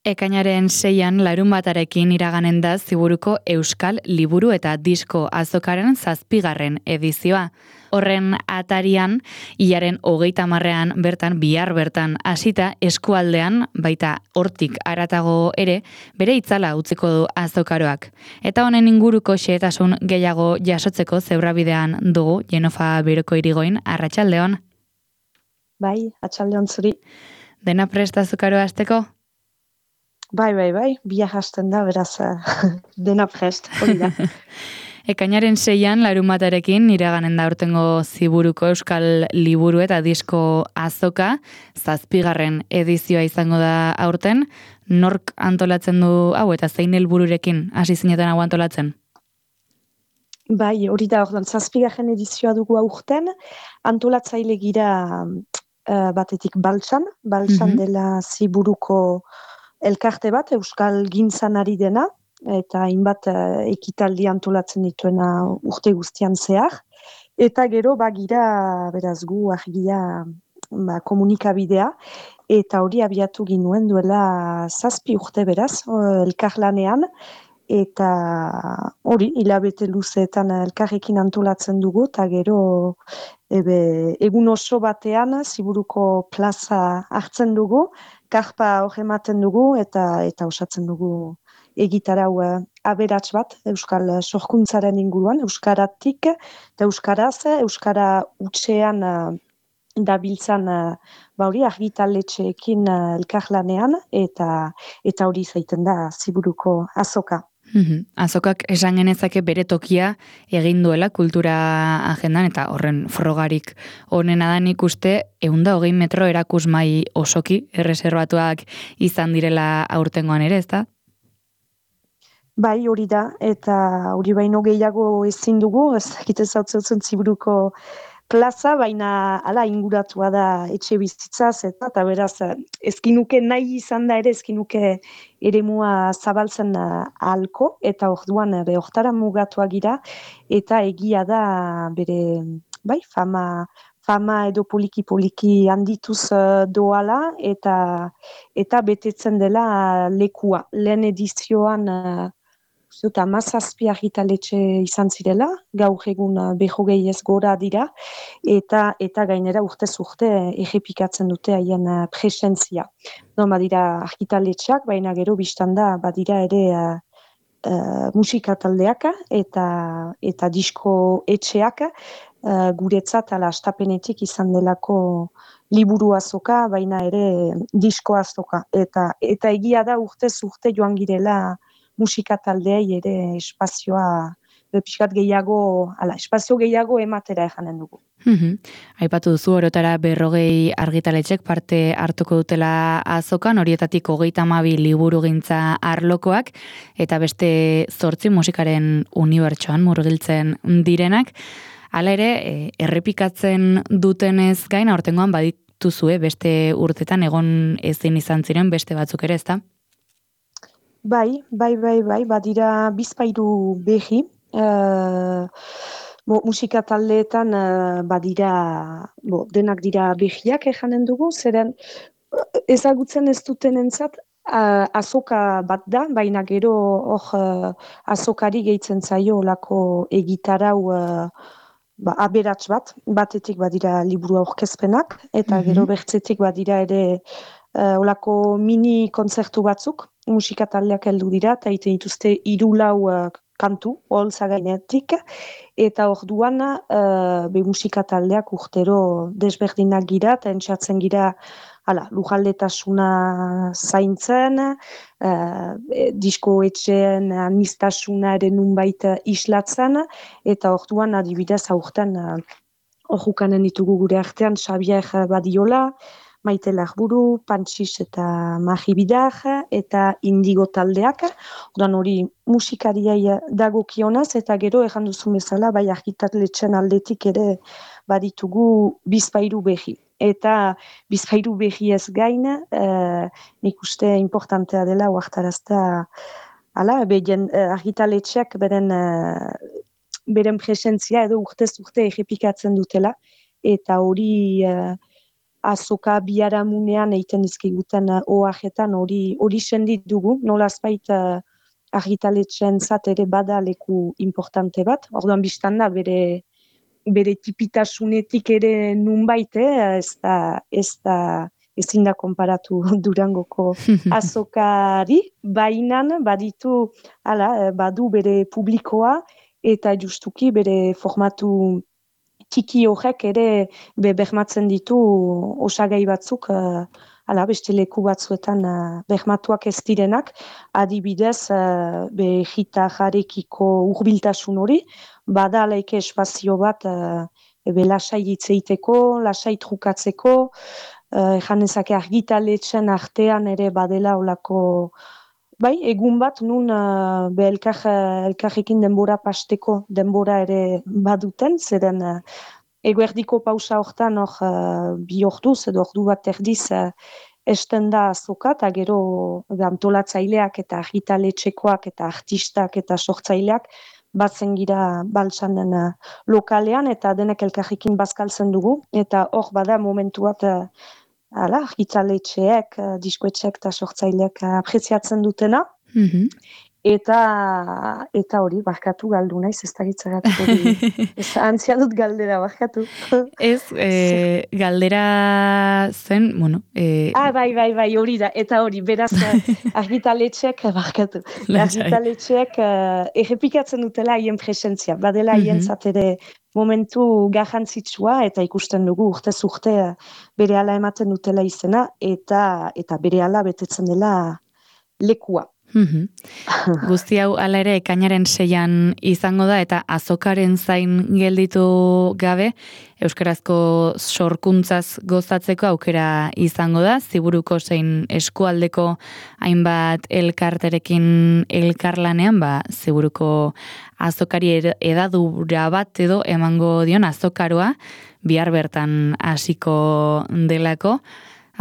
Ekainaren 6an larunbatarekin iraganen da Ziburuko Euskal Liburu eta Disko Azokaren 7. edizioa. Horren atarian, hilaren 30ean bertan, bihar bertan hasita eskualdean, baita hortik haratago ere, bere itzala utziko du azokaroak. Eta honen inguruko xehetasun gehiago jasotzeko zebrabidean dugu, Jenofa Beroko Irigoin, arratsaldeon. Bai, atxaldeon zuri. Dena prest azokaroa hasteko? Bai, biak hasten da, beraz, dena prest, hori da. Ekainaren 6an larunbatarekin iraganen da aurtengo Ziburuko Euskal Liburu eta Disko Azoka, 7. edizioa izango da aurten. Nork antolatzen du hau eta zein helbururekin hasi zinetan hau antolatzen? Bai, hori da, ordan 7. edizioa dugu aurten, antolatzaile gira batetik Baltsan dela Ziburuko elkarte bat, Euskal Gintzan ari dena, eta hainbat ekitaldi antolatzen dituena urte guztian zehar. Eta gero bagira, beraz gu argia komunikabidea, eta hori abiatu ginuen duela 7 urte beraz, elkarlanean, eta hori hilabete luzeetan elkarrekin antolatzen dugu, eta gero egun oso batean Ziburuko plaza hartzen dugu, karpa hor ematen dugu eta osatzen dugu egitarau aberats bat Euskal sorkuntzaren inguruan, euskaratik eta euskaraz, euskara hutsean dabiltzan hori argitaletxeekin elkarlanean eta hori zaiten da Ziburuko azoka. Azokak esan genezake bere tokia egin duela kultura agendan eta horren frogarik honena da nik uste 120 metro erakusmai osoki erreserbatuak izan direla aurtengoan ere, ezta? Bai, hori da, eta hori baino gehiago ezin dugu, ez dakit ezautzen Ziburuko plaza, baina hala inguratua da etxe bizitzaz, eta beraz, ezkinuke nahi izan da ere, ezkinuke eremua zabaltzen ahalko, eta orduan hortara mugatua gira, eta egia da bere, bai, fama edo poliki handituz doala, eta betetzen dela lekua. Lehen edizioan, 17 argitaletxe izan zirela, gaur egun 20 ez gora dira, eta gainera urtez urte errepikatzen dute haien presentzia. Badira argitaletxeak, baina gero biztan da badira ere musika taldeak eta disko etxeak, guretzat ala astapenetik izan delako liburu azoka, baina ere disko azoka. Eta egia da urtez urte joan girela musika taldeei ere espazioa pixkat gehiago, espazio gehiago ematera ejanen dugu. Aipatu duzu orotara 40 argitaletxek parte hartuko dutela azokan, horietatik 32 liburugintza arlokoak, eta beste 8 musikaren unibertsoan murgiltzen direnak. Hala ere, errepikatzen dutenez gain, aurtengoan badituzue beste urtetan egon ezin izan ziren beste batzuk ere, ezta? Bai, badira bizpahiru berri, musika taldeetan badira, denak dira berriak ejanen dugu, zeren ezagutzen ez dutenentzat azoka bat da, baina gero hor azokari gehitzen zaio olako egitarau aberats bat, batetik badira liburu aurkezpenak, eta gero bertzetik badira ere olako mini kontzertu batzuk, musika taldeak heldu dira, eta egiten dituzte 3-4 kantu, oholtza gainetik, eta orduan musika taldeak urtero desberdinak gira, eta entxatzen gira lujaldetasuna zaintzen, disko etxeen aniztasuna ere nunbait islatzen, eta orduan adibidez aurten orjukanen ditugu gure artean Xabier Badiola, Maite Larburu, Pantxis eta Magi Bidar, eta Indigo taldeak. Orduan hori musikariai dagokionaz, eta gero erran duzun bezala, bai argitaletxen aldetik ere baditugu bizpahiru berri. Eta bizpahiru berri ez gain, nik uste importantea dela uartarazta argitaletxeak beren presentzia edo urtez urte errepikatzen dutela, eta hori azoka biharamunean egiten dizkiguten oajetan hori sendit dugu, nolazbait argitaletxeentzat ere bada leku importante bat. Orduan biztan da bere tipitasunetik ere nunbait, ezin da konparatu Durangoko azokari, bainan badu bere publikoa eta justuki bere formatu txiki horrek ere bermatzen ditu osagai batzuk, beste leku batzuetan bermatuak ez direnak, adibidez, gita jarekiko hurbiltasun hori, bada alaike espazio bat lasai hitz egiteko, lasai trukatzeko, janezake argitaletxen artean ere badela olako, bai, egun bat nun elkarrekin denbora pasteko denbora ere baduten, zeren eguerdiko pausa hortan bi orduz edo ordu bat erdiz esten da azoka, eta gero antolatzaileak eta argitaletxekoak eta artistak eta sortzaileak batzen gira baltsanen lokalean, eta denek elkarrekin bazkaltzen dugu, eta hor bada momentu bat argitaletxeek, diskoetxeek eta sortzaileak apreziatzen dutena, eta hori, barkatu galdu naiz, ez da gitzagatik hori, antzia dut galdera, barkatu. Ez, galdera zen, bueno... Bai, hori da, eta hori, beraz, argitaletxeek, barkatu, argitaletxeek errepikatzen dutela haien presentzia, badela haien zatere momentu garrantzitsua, eta ikusten dugu urtez urte berehala ematen dutela izena, eta berehala betetzen dela lekua. Guzti hau hala ere ekainaren 6an izango da, eta azokaren zain gelditu gabe euskarazko sorkuntzaz gozatzeko aukera izango da, Ziburuko zein eskualdeko hainbat elkarterekin elkarlanean, Ziburuko azokari edadura bat edo emango dion azokaroa bihar bertan hasiko delako.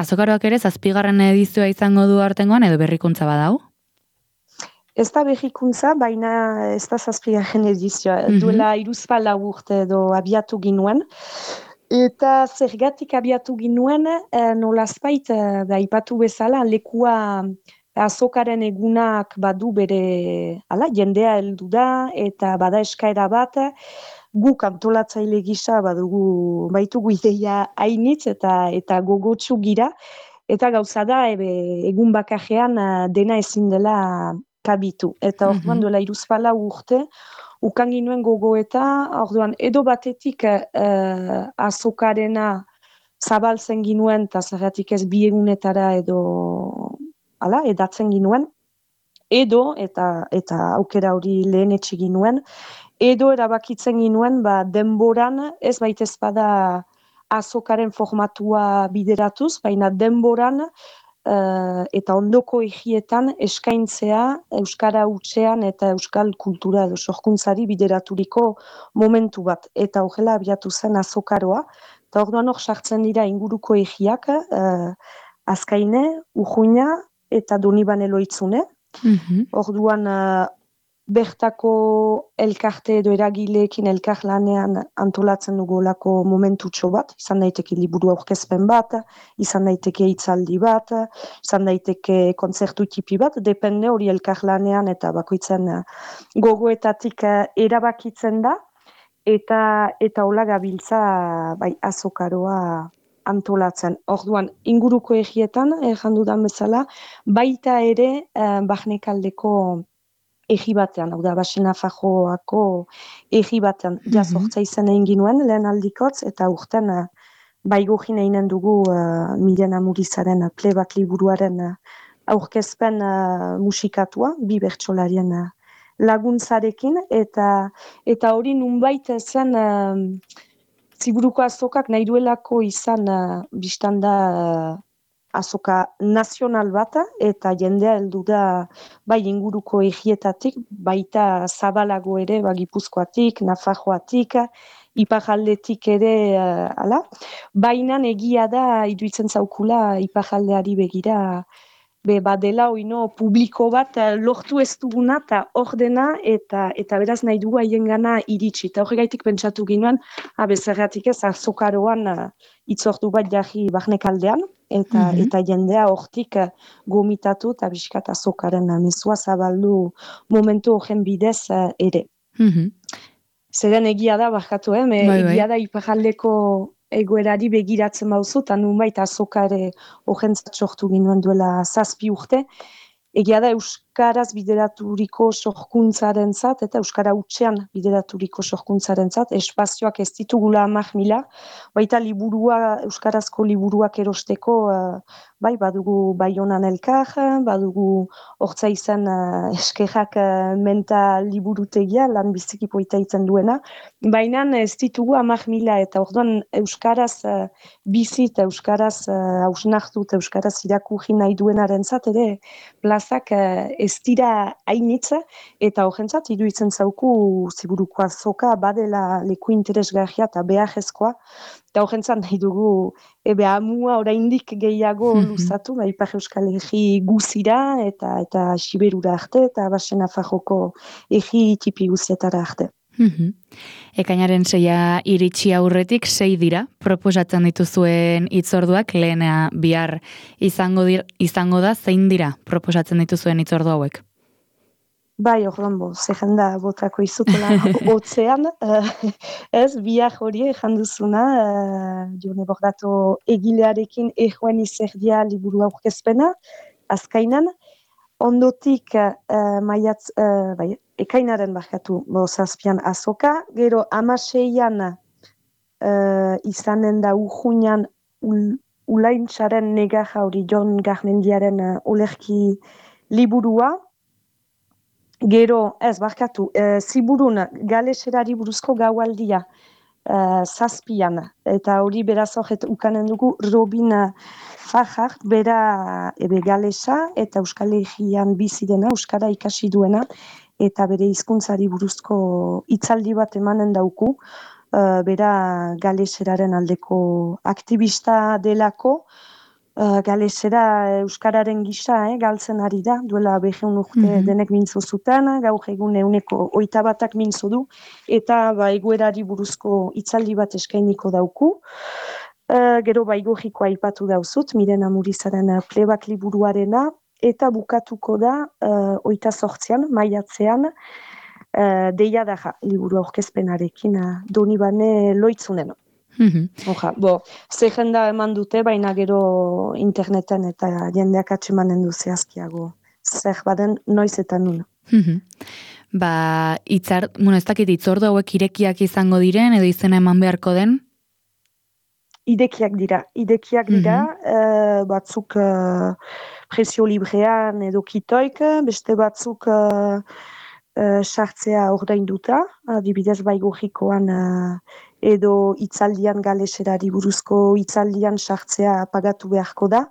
Azokaroak ere 7. edizioa izango du aurtengoan edo berrikuntza badau? Ez da berrikuntza, baina ez da 7. edizioa. Duela 3-4 urte edo abiatu ginuen. Eta zergatik abiatu ginuen, nolazbait, aipatu bezala, lekua azokaren egunak badu bere, jendea heldu da, eta bada eskaera bat, guk antolatzaile gisa baitugu ideia hainitz eta gogotsu gira, eta gauza da, egun bakarrean dena ezin dela kabitu. Eta orduan duela 3-4 urte, ukan ginuen gogoeta, orduan edo batetik azokarena zabaltzen ginuen, eta zergatik ez bi egunetara edo edatzen ginuen, edo, eta aukera hori lehen etxe ginuen, edo erabakitzen ginuen denboran, ez baitez bada azokaren formatua bideratuz, baina denboran eta ondoko egietan eskaintzea euskara hutsean eta euskal kultura edo sorkuntzari bideraturiko momentu bat. Eta horrela abiatu zen azokaroa. Eta orduan hor sartzen dira inguruko egiak, Azkaine, Urruña eta Donibane Loitzune. Orduan bertako elkarte edo eragileekin elkarlanean antolatzen dugulako momentutxo bat, izan daiteke liburu aurkezpen bat, izan daiteke hitzaldi bat, izan daiteke kontzertu tipi bat, depende hori elkarlanean eta bakoitzen gogoetatik erabakitzen da, eta hola gabiltza azokaroa antolatzen. Orduan, inguruko egietan, jandudan bezala, baita ere Barnekaldeko egi batean, hau da, Basena Fajoako egi batean, jazortza izan egin ginuen, lehen aldikotz, eta urten baigogin eginen dugu Miren Amurizaren Plebat liburuaren aurkezpen musikatua, bi bertsolarien laguntzarekin, eta hori nunbait zen Ziburuko azokak nahi duelako izan biztan da azoka nazional bat, eta jendea heldu da bai inguruko egietatik, baita zabalago ere, Gipuzkoatik, Nafarroatik, iparraldetik ere, baina egia da iruditzen zaukula iparraldeari begira, badela oino publiko bat lortu ez duguna eta ordena eta beraz nahi dugu haien gana iritsi. Eta horregaitik pentsatu ginoen, bezerratik ez azokaroan itzordu bat jarri barnekaldean, eta jendea hortik gomitatu eta biskat azokaren mezua zabaldu momentu horren bidez ere. Zeren egia da, barkatu, egia da iparraldeko egoerari begiratzen bauzu, eta nunbait azoka ere horrentzat sortu ginoen duela 7 urte. Egia da Euskaraz bideraturiko sorkuntzaren zat, eta Euskara hutsean bideraturiko sorkuntzaren zat, espazioak ez ditugula 10.000, baita Euskarazko liburuak erosteko, bai, badugu Baionan Elkar, badugu Hortza izan eskerrak menta liburutegia, lan biziki poita itzen duena, baina ez ditugu 10.000, eta orduan Euskaraz bizi eta Euskaraz hausnartu eta Euskaraz irakurri nahi duenaren zat, ere plazak ez dira hainitza, eta horrentzat iruditzen zauku ziburuko azoka badela leku interesgarria eta beharrezkoa, eta horrentzat nahi dugu amua oraindik gehiago luzatu, Ipar Euskal Herri guzira eta Siberura arte, eta Basen Nafarroko herri tipi guzietara arte. Ekainaren 6 iritsi aurretik 6 dira, proposatzen dituzuen hitzorduak, lehena bihar izango da, zein dira proposatzen dituzuen hitzordu hauek? Bai, orduan zerrenda botako izutela hotzean, bihar hori janduzuna, Jone Bordato egilearekin ejoen izerdia liburu aurkezpena, azkainan, ondotik ekainaren barkatu 7 azoka, gero 16an izanen da urjunan Ulaintzaren Negarra hori Jon Garmendiaren olerki liburua, gero, Ziburun galeserari buruzko gaualdia 7an, eta hori beraz horret ukanen dugu Robin Fajard, bera galesa eta Euskal Herrian bizi dena, Euskara ikasi duena, eta bere hizkuntzari buruzko hitzaldi bat emanen dauku, bera galeseraren aldeko aktivista delako, galesera Euskararen gisa, galtzen ari da, duela 200 urte denek mintzo zuten, gaur egun 121 mintzo du, eta egoerari buruzko hitzaldi bat eskainiko dauku. Gero Baigorrikoa aipatu dauzut, Miren Amurizaren Plebak liburuarena, eta bukatuko da 28an, maiatzean, Deia Daja liburu aurkezpenarekin Donibane Loitzunen. Zerrenda eman dute, baina gero interneten eta jendeak atsemanen du zehazkiago. Zer baden noiz eta nun. Ez dakit hitzordu hauek irekiak izango diren, edo izena eman beharko den? Irekiak dira, batzuk presio librean edo kitoik, beste batzuk sartzea ordainduta, adibidez Baigorrikoan edo hitzaldian galeserari buruzko hitzaldian sartzea pagatu beharko da,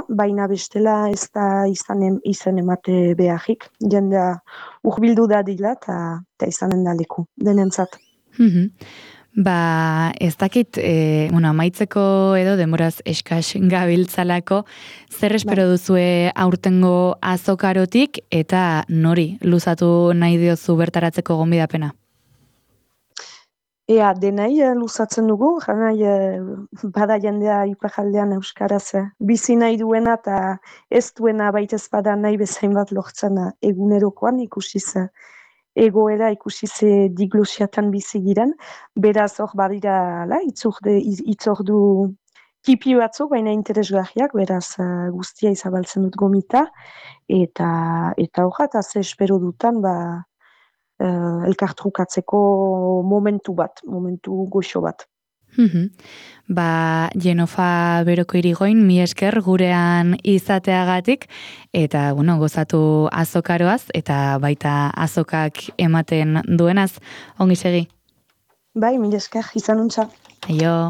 baina bestela ez da izan emate beharrik, jendea urbildu da dila eta izanen da leku, denentzat. Ez dakit, amaitzeko edo demoraz eskas gabiltzalako, zer espero duzue aurtengo azokarotik eta nori luzatu nahi diozu bertaratzeko gonbidapena? Denai luzatzen dugu, bada jendea iparraldean Euskaraz bizi nahi duena eta ez duena baitez bada nahi bezain bat lortzen egunerokoan ikusiz egoera ikusiz diglosiatan bizi giren, beraz hor badira hitzordu tipi batzuk, baina interesgarriak, beraz guztia izabaltzen dut gomita, eta horra, ze espero dutan, elkartrukatzeko momentu goxo bat. Jenofa Beroko Irigoin, mi esker gurean izateagatik, eta gozatu azokaroaz, eta baita azokak ematen duenaz, ongi segi. Mi esker, izanuntza. Aio.